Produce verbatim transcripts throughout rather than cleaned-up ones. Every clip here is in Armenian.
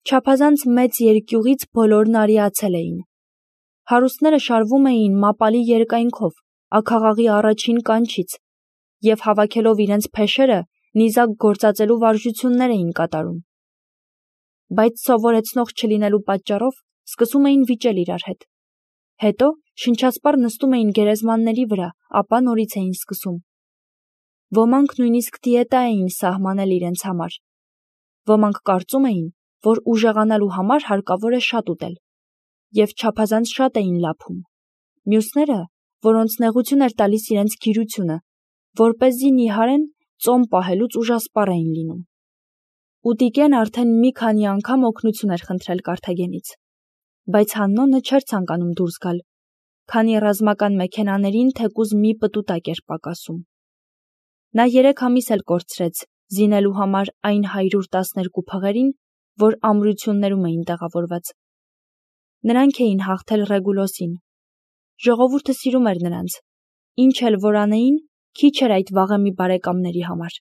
Չափազանց մեծ երկյուղից բոլորն արիացել էին։ Հարուստները շարվում էին մապալի երկայնքով, աքաղաղի առաջին կանչից, և հավաքելով իրենց փեշերը, նիզակ գործածելու վարժություններ էին կատարում։ Բայց սովորեցնող չլինելու պատճառով սկսում էին վիճել իրար հետ։ Հետո շնչասպառ նստում էին գերեզմանների վրա, ապա նորից էին սկսում։ Ոմանք նույնիսկ դիետա էին սահմանել իրենց համար։ Ոմանք կարծում էին, որ ուժեղանալու համար հարկավոր է շատ ուտել, և չափազանց շատ էին լափում։ Մյուսները, որոնց նեղություն էր տալիս իրենց գիրությունը, որպեսզի նիհարեն, ծոմ պահելուց ուժասպառ էին լինում։ Ուտիկեն արդեն մի քանի անգամ օգնություն էր խնդրել Կարթագենից, բայց Հաննոնը չէր ցանկանում դուրս գալ, քանի ռազմական մեքենաներին թեկուզ մի պտուտակ էր պակասում։ Նա երեք ամիս էլ կորցրեց զինելու համար այն հարյուր տասներկու փղերին, որ ամրություններում էին տեղավորված։ Նրանք էին հաղթել Ռեգուլոսին։ Ժողովուրդը սիրում էր նրանց, ինչ էլ որ անեին, քիչ էր այդ վաղեմի բարեկամների համար։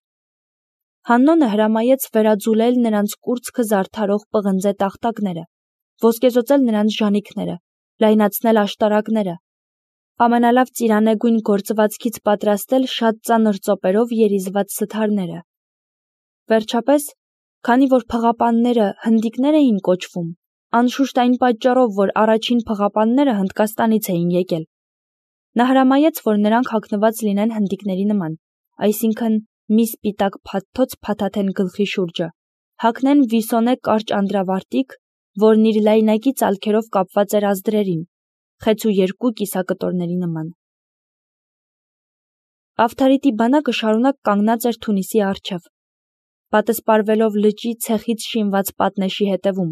Հաննոնը հրամայեց վերաձուլել նրանց կուրծքը զարդարող պղնձե տախտակները, ոսկեզօծել նրանց ժանիքները, լայնացնել աշտարակները, ամենալավ ծիրանեգույն գործվածքից պատրաստել շատ ծանր ծոպերով երիզված սթարները։ Վերջապես, քանի որ փղապանները հնդիկներ էին կոչվում, անշուշտ այն պատճառով, որ առաջին փղապանները Հնդկաստանից էին եկել, նա հրամայեց, որ նրանք հագնված լինեն հնդիկների նման, այսինքն մի սպիտակ փաթթոց փաթաթեն գլխի շուրջը, հագնեն վիսոնե կարճ անդրավարտիք, որն իր լայնակի ծալքերով կապված էր ազդրերին, խեցու երկու կիսակտորների նման։ Ավթարիտի բանակը շարունակ կանգնած էր Թունիսի առջև, պատսպարվելով լճի ցեխից շինված պատնեշի հետևում,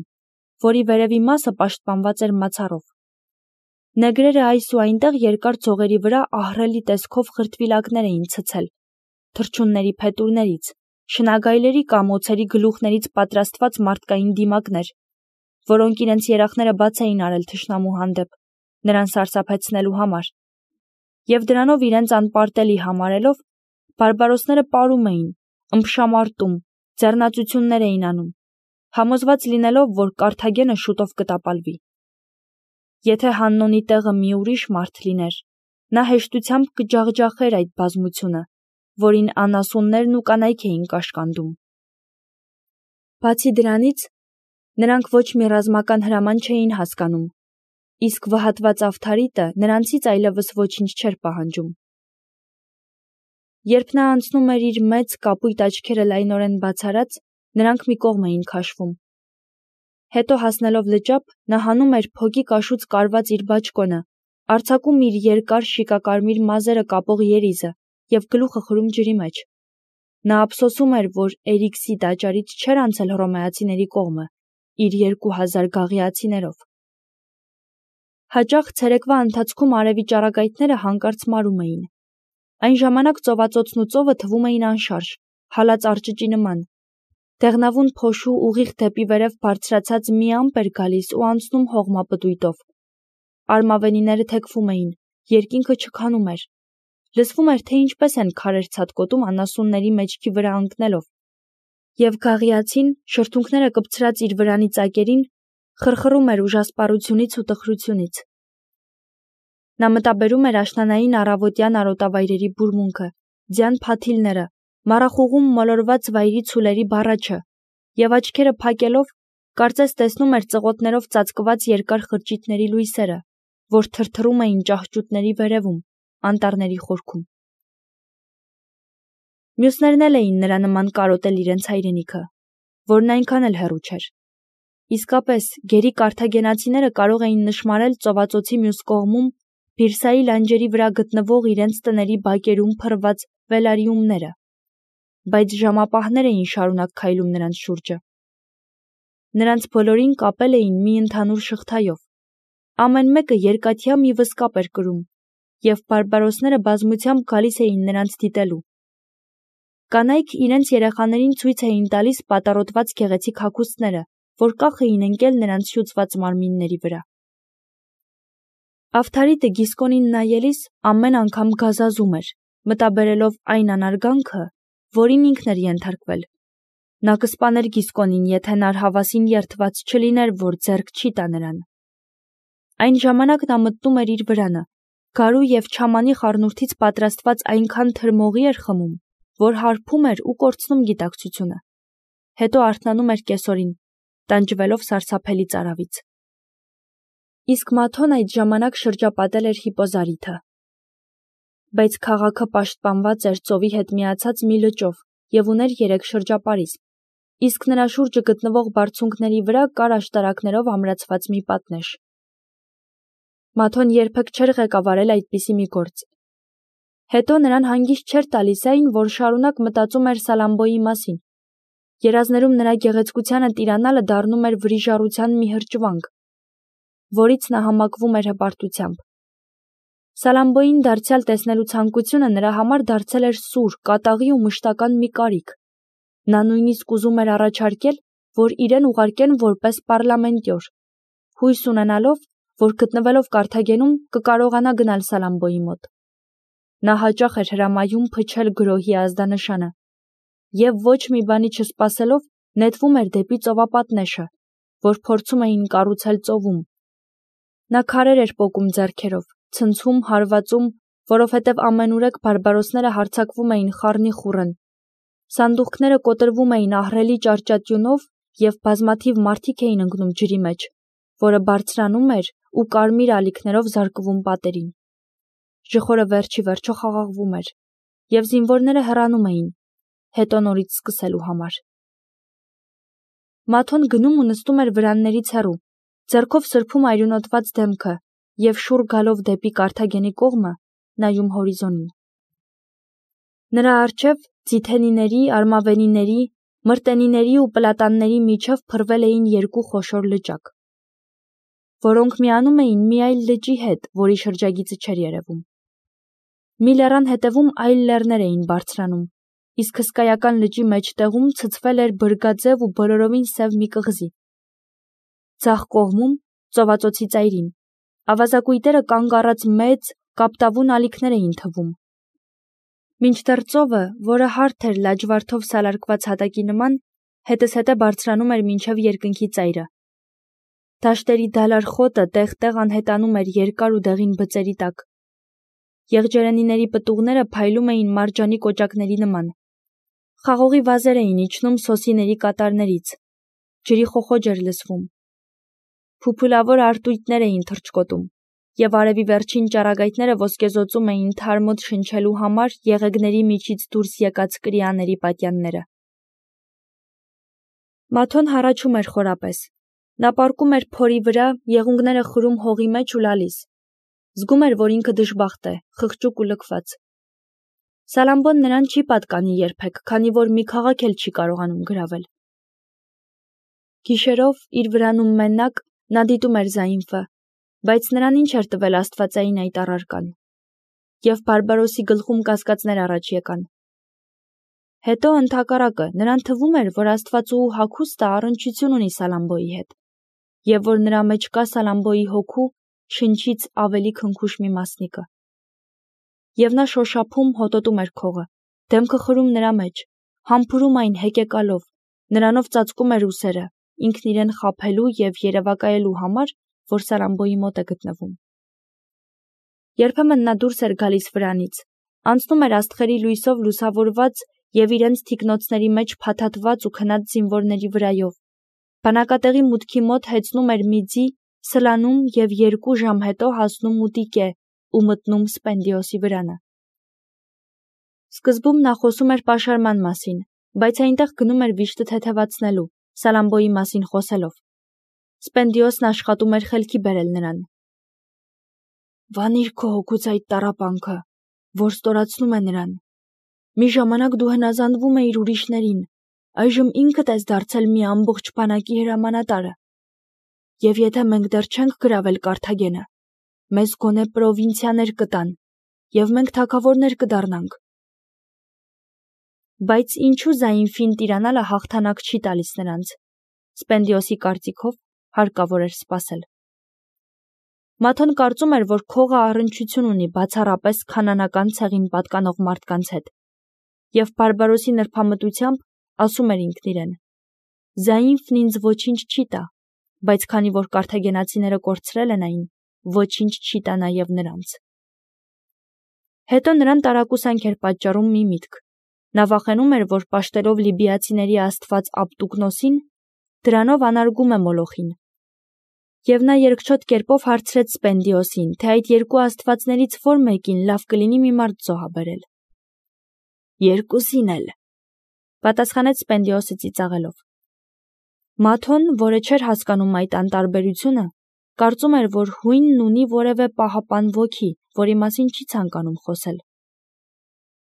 որի վերևի մասը պաշտպանված էր մացառով։ Նեգրերը այս ու այնտեղ երկար ձողերի վրա ահռելի տեսքով խրտվիլակներ էին ցցել, թռչունների փետուրներից, շնագայլերի կամ օձերի գլուխներից պատրաստված մարդկային դիմակներ, որոնք իրենց երախները բաց էին արել թշնամու հանդեպ, նրան սարսափեցնելու համար, և դրանով իրենց անպարտելի համարելով, բարբարոսները պարում էին, ըմբշամարտում, ձեռնածություններ էին անում, համոզված լինելով, որ Կարթագենը շուտով կտապալվի։ Եթե Հաննոնի տեղը մի ուրիշ մարդ լիներ, նա հեշտությամբ կջախջախեր այդ բազմությունը, որին անասուններն ու կանայք էին կաշկանդում։ Բացի դրանից, նրանք ոչ մի ռազմական հրաման չէին հասկանում, իսկ վհատված Ավթարիտը նրանցից այլևս ոչինչ չէր պահանջում։ Երբ նա անցնում էր իր մեծ կապույտ աչքերը լայնորեն բացարած, նրանք մի կողմ էին քաշվում։ Հետո հասնելով լճափ, նա հանում էր փոկի կաշուց կարված իր բաճկոնը, արձակում իր երկար շիկակարմիր մազերը կապող երիզը և գլուխը խրում ջրի մեջ։ Նա ափսոսում էր, որ Էրիքսի տաճարից չէր անցել հռոմեացիների կողմը, իր երկու հազար գաղիացիներով։ Հաճախ ցերեկվա ընթացքում արևի ճառագայթները հանկարծ մարում էին։ Այն ժամանակ ծովածոցն ու ծովը թվում էին անշարժ, հալած արճճի նման։ Դեղնավուն փոշու ուղիղ դեպի վերև բարձրացած մի ամպ էր գալիս ու անցնում հողմապտույտով։ Արմավենիները թեքվում էին, երկինքը չքանում էր։ Լսվում էր, թե ինչպես են քարեր ցատկոտում անասունների մեջքի վրա ընկնելով, և գաղիացին, շրթունքները կպցրած իր վրանի ծակերին, խրխռում էր ուժասպառությունից ու տխրությունից։ Նա մտաբերում էր աշնանային առավոտյան արոտավայրերի բուրմունքը, ձյան փաթիլները, մառախուղում մոլորված վայրի ցուլերի բառաչը, և աչքերը փակելով, կարծես տեսնում էր ծղոտներով ծածկված երկար խրճիթների լույսերը, որ թրթռում էին ճահճուտների վերևում, անտառների խորքում։ Մյուսներն էլ էին նրա նման կարոտել իրենց հայրենիքը, որն այնքան էլ հեռու չէր։ Իսկապես, գերի կարթագենացիները կարող էին նշմարել ծովածոցի մյուս կողմում Բիրսայի լանջերի վրա գտնվող իրենց տների բակերում փռված վելարիումները, բայց ժամապահներ էին շարունակ քայլում նրանց շուրջը։ Նրանց բոլորին կապել էին մի ընդհանուր շղթայով, ամեն մեկը երկաթյա մի վսկապ էր կրում, և բարբարոսները բազմությամբ գալիս էին նրանց դիտելու։ Կանայք իրենց երեխաներին ցույց էին տալիս պատառոտված գեղեցիկ հագուստները, որ կախ էին ընկել նրանց շուծված մարմինների վրա։ Ավթարիտը Գիսկոնին նայելիս ամեն անգամ գազազում էր, մտաբերելով այն անարգանքը, որին ինքն էր ենթարկվել, Նա կսպաներ Գիսկոնին, եթե նա հավասին երդված չլիներ, որ ձեռք չի տա նրան։ Այն ժամանակ նա մտնում էր իր վրանը, գարու և չամանի խառնուրդից պատրաստված այնքան թրմողի էր խմում, որ հարբում էր ու կորցնում գիտակցությունը։ Հետո արթնանում էր կեսօրին, տանջվելով սարսափելի ծարավից։ Իսկ Մաթոն այդ ժամանակ շրջապատել էր Հիպոզարիթը։ Բայց քաղաքը պաշտպանված էր ծովի հետ միացած մի լճով և ուներ երեք շրջապարիս, իսկ նրա շուրջը գտնվող բարձունքների վրա կար աշտարակներով ամրացված մի պատնեշ։ Մաթոն երբեք չէր ղեկավարել այդպիսի մի գործ։ Հետո նրան հանգիստ չէր տալիս այն, որ շարունակ մտածում էր Սալամբոյի մասին։ Երազներում նրա գեղեցկությանը տիրանալը դառնում էր վրիժառության մի հրճվանք, որից նա համակվում էր հպարտությամբ։ Սալամբոյին դարձյալ տեսնելու ցանկությունը նրա համար դարձել էր սուր, կատաղի ու մշտական մի կարիք։ Նա նույնիսկ ուզում էր առաջարկել, որ իրեն ուղարկեն որպես պարլամենտյոր, հույս ունենալով, որ գտնվելով Կարթագենում կկարողանա գնալ Սալամբոյի մոտ։ Նա հաճախ էր հրամայում փչել գրոհի ազդանշանը և ոչ մի բանի չսպասելով նետվում էր դեպի ծովապատնեշը, որ փորձում էին կառուցել ծովում։ Նա քարեր էր պոկում ձեռքերով, ցնցում, հարվածում, որովհետև ամենուրեք բարբարոսները հարձակվում էին խառնի խուռն։ Սանդուղքները կոտրվում էին ահռելի ճարճատյունով և բազմաթիվ մարդիկ էին ընկնում ջրի մեջ, որը բարձրանում էր ու կարմիր ալիքներով զարկվում պատերին։ Ժխորը վերջի վերջո խաղաղվում էր, և զինվորները հեռանում էին, հետո նորից սկսելու համար։ Մաթոն գնում ու նստում էր վրաններից հեռու, ձեռքով սրբում այրունոտված դեմքը և շուռ գալով դեպի Կարթագենի կողմը, նայում հորիզոնին։ Նրա առջև ձիթենիների, արմավենիների, մրտենիների ու պլատանների միջև փռվել էին երկու խոշոր լճակ, որոնք միանում էին մի այլ լճի հետ, որի շրջագիծը չէր երևում։ Մի լեռան հետևում այլ լեռներ էին բարձրանում, իսկ հսկայական լճի մեջտեղում ցցվել էր բրգաձև ու բոլորովին սև մի կղզի։ Ձախ կողմում, ծովածոցի ծայրին, ավազակույտերը կանգ առած մեծ, կապտավուն ալիքներ էին թվում։ Մինչդեռ ծովը, որը հարթ էր լաջվարդով սալարկված հատակի նման, հետզհետե բարձրանում էր մինչև երկնքի ծայրը։ Դաշտերի դալար խոտը տեղ-տեղ անհետանում էր երկար ու դեղին բծերի տակ։ Եղջերենիների պտուղները փայլում էին մարջանի կոճակների նման։ Խաղողի վազեր էին իջնում սոսիների կատարներից։ Ջրի խոխոջ էր լսվում։ Փուփուլավոր արտույտներ էին թռչկոտում, և արևի վերջին ճառագայթները ոսկեզօծում էին թարմոտ շնչելու համար եղեգների միջից դուրս եկած կրիաների պատյանները։ Մաթոն հառաչում էր խորապես։ Նա պառկում էր փորի վրա, եղունգները խրում հողի մեջ ու լալիս։ Զգում էր, որ ինքը դժբախտ է, խղճուկ ու լքված։ Սալամբոն նրան չի պատկանի երբեք, քանի որ մի քաղաք էլ չի կարողանում գրավել։ Գիշերով, իր վրանում մենակ, նա դիտում էր Զայինֆը, բայց նրան ինչ էր տվել աստվածային այդ առարկան։ Եվ Բարբարոսի գլխում կասկածներ առաջ եկան։ Հետո ընդհակառակը, նրան թվում էր, որ աստվածուհու հագուստը առնչություն ունի Սալամբոյի հետ, և որ նրա մեջ կա Սալամբոյի հոգու, շնչից ավելի քնքուշ մի մասնիկը։ Եվ նա շոշափում, հոտոտում էր քողը, դեմքը խրում նրա մեջ, համբուրում այն հեկեկալով, նրանով ծածկում էր ուսերը, ինքն իրեն խաբելու և երևակայելու համար, որ Սալամբոյի մոտ է գտնվում։ Երբեմն նա դուրս էր գալիս վրանից, անցնում էր աստղերի լույսով լուսավորված և իրենց թիկնոցների մեջ փաթաթված ու քնած զինվորների վրայով, բանակատեղի մուտքի մոտ հեծնում էր մի ձի, սլանում և երկու ժամ հետո հասնում մուտիկ է ու մտնում Սպենդիոսի վրանը։ Սկզբում նա խոսում էր պաշարման մասին, բայց այնտեղ գնում էր վիշտը թեթևացնելու, Սալամբոյի մասին խոսելով։ Սպենդիոսն աշխատում էր խելքի բերել նրան։ «Վանիր քո հոգուց այդ տառապանքը, որ ստորացնում է նրան։ Մի ժամանակ դու հնազանդվում էիր ուրիշներին, այժմ ինքդ ես դարձել մի ամբողջ բանակի հրամանատարը։ Եվ եթե մենք դեռ չենք գրավել Կարթագենը, մեզ գոնե պրովինցիաներ կտան, և մենք թագավորներ կդառնանք»։ Բայց ինչու Զայինֆին տիրանալը հաղթանակ չի տալիս նրանց։ Սպենդիոսի կարծիքով հարկավոր էր սպասել։ Մաթոն կարծում էր, որ քողը առնչություն ունի բացառապես քանանական ցեղին պատկանող մարդկանց հետ, և Բարբարոսի նրբամտությամբ ասում էր ինքն իրեն. «Զայինֆն ինձ ոչինչ չի տա, բայց քանի որ կարթագենացիները կորցրել են այն, ոչինչ չի տա նաև նրանց»։ Հետո նրան տարակուսանք էր պատճառում մի միտք. նա վախենում էր, որ պաշտելով լիբիացիների աստված Աբդուկնոսին, դրանով անարգում է Մոլոխին։ Եվ նա երկչոտ կերպով հարցրեց Սպենդիոսին, թե այդ երկու աստվածներից որ մեկին լավ կլինի մի մարդ զոհաբերել։ «Երկուսին էլ», պատասխանեց Սպենդիոսը ծիծաղելով։ Մաթոն, որը չէր հասկանում այդ անտարբերությունը, կարծում էր, որ հույնն ունի որևէ պահապան ոգի, որի մասին չի ցանկանում խոսել։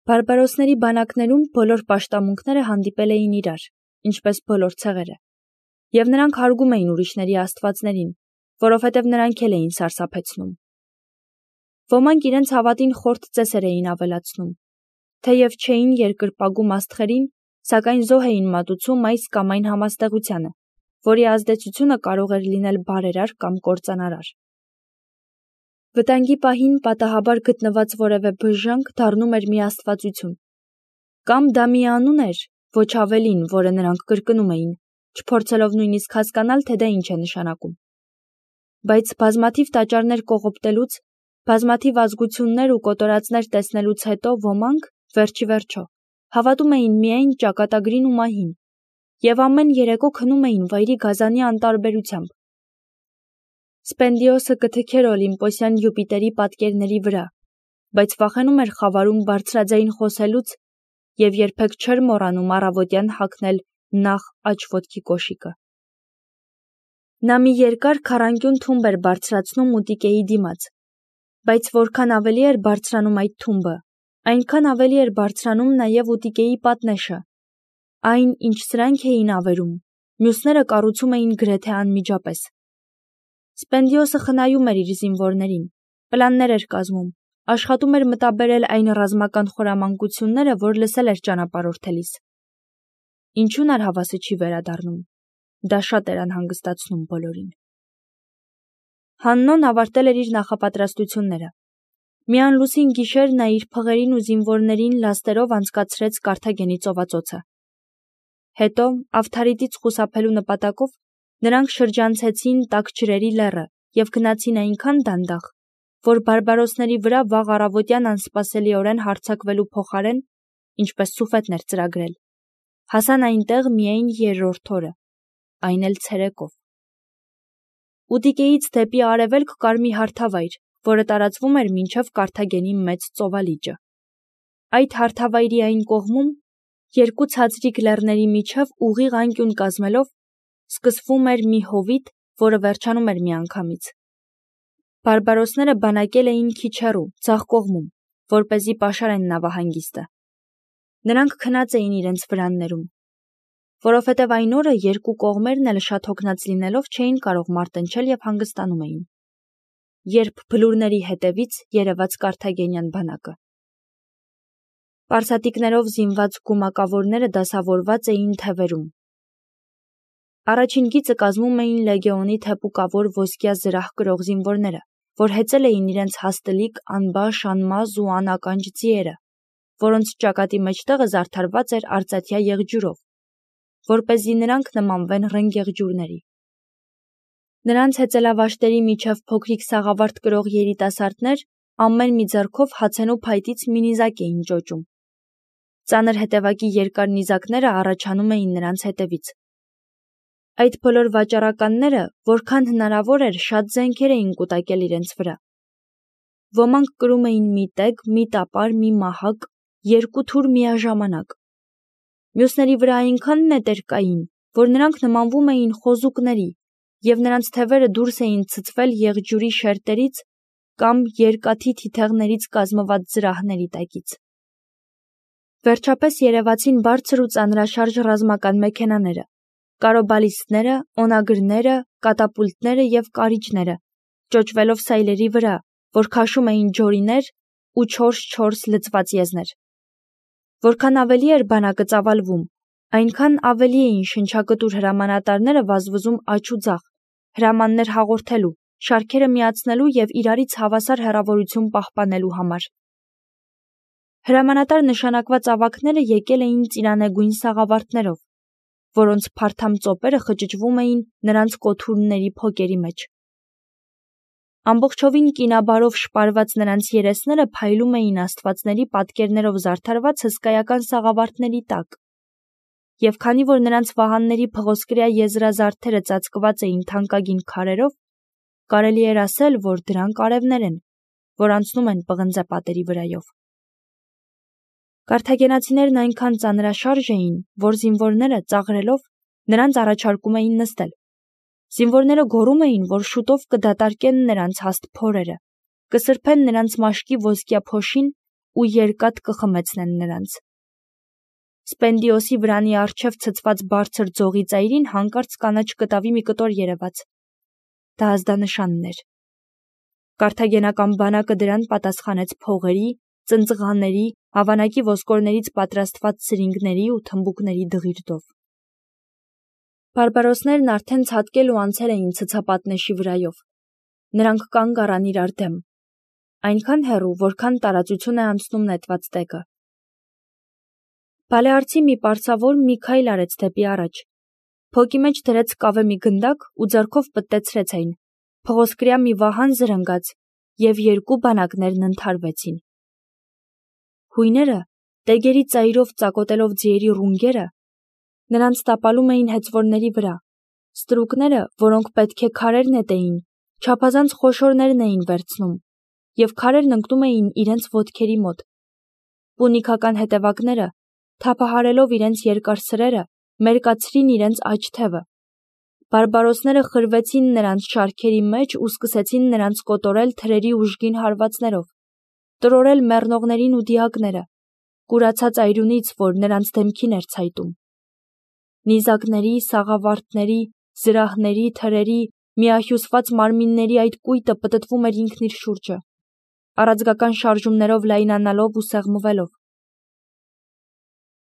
Բարբարոսների բանակներում բոլոր պաշտամունքները հանդիպել էին իրար, ինչպես բոլոր ցեղերը, և նրանք հարգում էին ուրիշների աստվածներին, որովհետև նրանք էլ էին սարսափեցնում։ Ոմանք իրենց հավատին խորթ ծեսեր էին ավելացնում, թեև չէին երկրպագում աստղերին, սակայն զոհ էին մատուցում այս կամ այն համաստեղությանը, որի ազդեցությունը կարող էր լինել բարերար կամ կործանարար։ Վտանգի պահին պատահաբար գտնված որևէ բժժանք դառնում էր մի աստվածություն, կամ դա մի անուն էր, ոչ ավելին, որը նրանք կրկնում էին, չփորձելով նույնիսկ հասկանալ, թե դա ինչ է նշանակում։ Բայց բազմաթիվ տաճարներ կողոպտելուց, բազմաթիվ ազգություններ ու կոտորածներ տեսնելուց հետո ոմանք, վերջի վերջո, հավատում էին միայն ճակատագրին ու մահին, և ամեն երեկո քնում էին վայրի գազանի անտարբերությամբ։ Սպենդիոսը կթքեր Օլիմպոսյան Յուպիտերի պատկերների վրա, բայց վախենում էր խավարում բարձրաձայն խոսելուց և երբեք չէր մոռանում առավոտյան հագնել նախ աջ ոտքի կոշիկը։ Նա մի երկար քառանկյուն թումբ էր բարձրացնում Ուտիկեի դիմաց, բայց որքան ավելի էր բարձրանում այդ թումբը, այնքան ավելի էր բարձրանում նաև Ուտիկեի պատնեշը։ Այն, ինչ սրանք էին ավերում, մյուսները կառուցում էին գրեթե անմիջապես։ Սպենդիոսը խնայում էր իր զինվորներին, պլաններ էր կազմում, աշխատում էր մտաբերել այն ռազմական խորամանկությունները, որ լսել էր ճանապարհորդելիս։ Ինչու՞ն արհավասը չի վերադառնում։ Դա շատ էր անհանգստացնում բոլորին։ Հաննոն ավարտել էր իր նախապատրաստությունները։ Մի անլուսին գիշեր նա իր փղերին ու զինվորներին լաստերով անցկացրեց Կարթագենի ծովածոցը։ Հետո, Ավթարիտից խուսափելու նպատակով, նրանք շրջանցեցին տաքջրերի լեռը և գնացին այնքան դանդաղ, որ բարբարոսների վրա վաղ առավոտյան անսպասելիորեն հարձակվելու փոխարեն, ինչպես Սուֆետն էր ծրագրել, հասան այնտեղ միայն երրորդ օրը, այն էլ ցերեկով։ Ուտիկեից դեպի արևելք կար մի հարթավայր, որը տարածվում էր մինչև Կարթագենի մեծ ծովալիճը։ Այդ հարթավայրի այն կողմում, երկու ցածրիկ լեռների միջև ուղիղ անկյուն կազմելով, սկսվում էր մի հովիտ, որը վերջանում էր միանգամից։ Բարբարոսները բանակել էին քիչ հեռու, ձախ կողմում, որպեսզի պաշարեն նավահանգիստը։ Նրանք քնած էին իրենց վրաններում, որովհետև այն օրը երկու կողմերն էլ շատ հոգնած լինելով չէին կարող մարտնչել և հանգստանում էին, երբ բլուրների հետևից երևաց կարթագենյան բանակը։ Պարսատիկներով զինված գումակավորները դասավորված էին թևերում։ Առաջին գիծը կազմում էին լեգեոնի թեփուկավոր ոսկյա զրահ կրող զինվորները, որ հեծել էին իրենց հաստլիկ, անբաշ, անմազ ու անականջ ձիերը, որոնց ճակատի մեջտեղը զարդարված էր արծաթյա եղջյուրով, որպեսզի նրանք նմանվեն ռնգեղջյուրների։ Նրանց հեծելավաշտերի միջև փոքրիկ սաղավարտ կրող երիտասարդներ ամեն մի ձեռքով հացենու փայտից մի նիզակ էին ճոճում։ Ծանր հետևակի երկար նիզակները առաջանում էին նրանց հետևից։ Այդ բոլոր վաճառականները, որքան հնարավոր էր, շատ զենքեր էին կուտակել իրենց վրա։ Ոմանք կրում էին մի տեգ, մի տապար, մի մահակ, երկու թուր միաժամանակ։ Մյուսների վրա այնքան նետեր կային, որ նրանք նմանվում էին խոզուկների, և նրանց թևերը դուրս էին ցցվել եղջյուրի շերտերից կամ երկաթի թիթեղներից կազմված զրահների տակից։ Վերջապես երևացին բարձր ու ծանրաշարժ ռազմական մեքենաները, կարոբալիստները, օնագրները, կատապուլտները և կարիճները, ճոճվելով սայլերի վրա, որ քաշում էին ջորիներ ու չորս-չորս լցված եզներ։ Որքան ավելի էր բանակը ծավալվում, այնքան ավելի էին շնչակտուր հրամանատարները վազվզում աջ ու ձախ, հրամաններ հաղորդելու, շարքերը միացնելու և իրարից հավասար հեռավորություն պահպանելու համար։ Հրամանատար նշանակված ավագները եկել էին ծիրանեգույն սաղավարտներով, որոնց փարթամ ծոպերը խճճվում էին նրանց կոթուրների փոկերի մեջ։ Ամբողջովին կինաբարով շպարված նրանց երեսները փայլում էին աստվածների պատկերներով զարդարված հսկայական սաղավարտների տակ, և քանի որ նրանց վահանների փղոսկրյա եզրազարդերը ծածկված էին թանկագին քարերով, կարելի էր ասել, որ դրանք արևներ են, որ անցնում են պղնձե պատերի վրայով։ Կարթագենացիներն այնքան ծանրաշարժ էին, որ զինվորները, ծաղրելով, նրանց առաջարկում էին նստել։ Զինվորները գոռում էին, որ շուտով կդատարկեն նրանց հաստ փորերը, կսրբեն նրանց մաշկի ոսկյա փոշին ու երկաթ կխմեցնեն նրանց։ Սպենդիոսի վրանի առջև ցցված բարձր ձողի ծայրին հանկարծ կանաչ կտավի մի կտոր երևաց։ Դա ազդանշանն էր։ Կարթագենական բանակը դրան պատասխանեց փողերի, ծնծղաների, հավանակի ոսկորներից պատրաստված սրինգների ու թմբուկների դղիրդով։ Բարբարոսներն արդեն ցատկել ու անցել էին ցցապատնեշի վրայով։ Նրանք կանգ առան իրար դեմ, այնքան հեռու, որքան տարածություն է անցնում նետված տեկը։ Բալեարցի մի պարծավոր մի քայլ արեց դեպի առաջ, փոկի մեջ դրեց կավե մի գնդակ ու ձեռքով պտտեցրեց այն, փղոսկրյա մի վահան զրնգաց, և երկու բանակներն ընդհարվեցին։ Հույները, տեգերի ծայրով ծակոտելով ձիերի ռունգերը, նրանց տապալում էին հեծվորների վրա, ստրուկները, որոնք պետք է քարեր նետեին, չափազանց խոշորներն էին վերցնում, և քարերն ընկնում էին իրենց ոտքերի մոտ։ Պունիկական հետևակները, թափահարելով իրենց երկար սրերը, մերկացրին իրենց աջ թևը։ Բարբարոսները խրվեցին նրանց շարքերի մեջ ու սկսեցին նրանց կոտորել թրերի ուժգին հարվածներով, տրորել մեռնողներին ու դիակները, կուրացած այրունից, որ նրանց դեմքին էր ցայտում։ Նիզակների, սաղավարտների, զրահների, թրերի, միահյուսված մարմինների այդ կույտը պտտվում էր ինքն իր շուրջը, առաձգական շարժումներով լայնանալով ու սեղմվելով։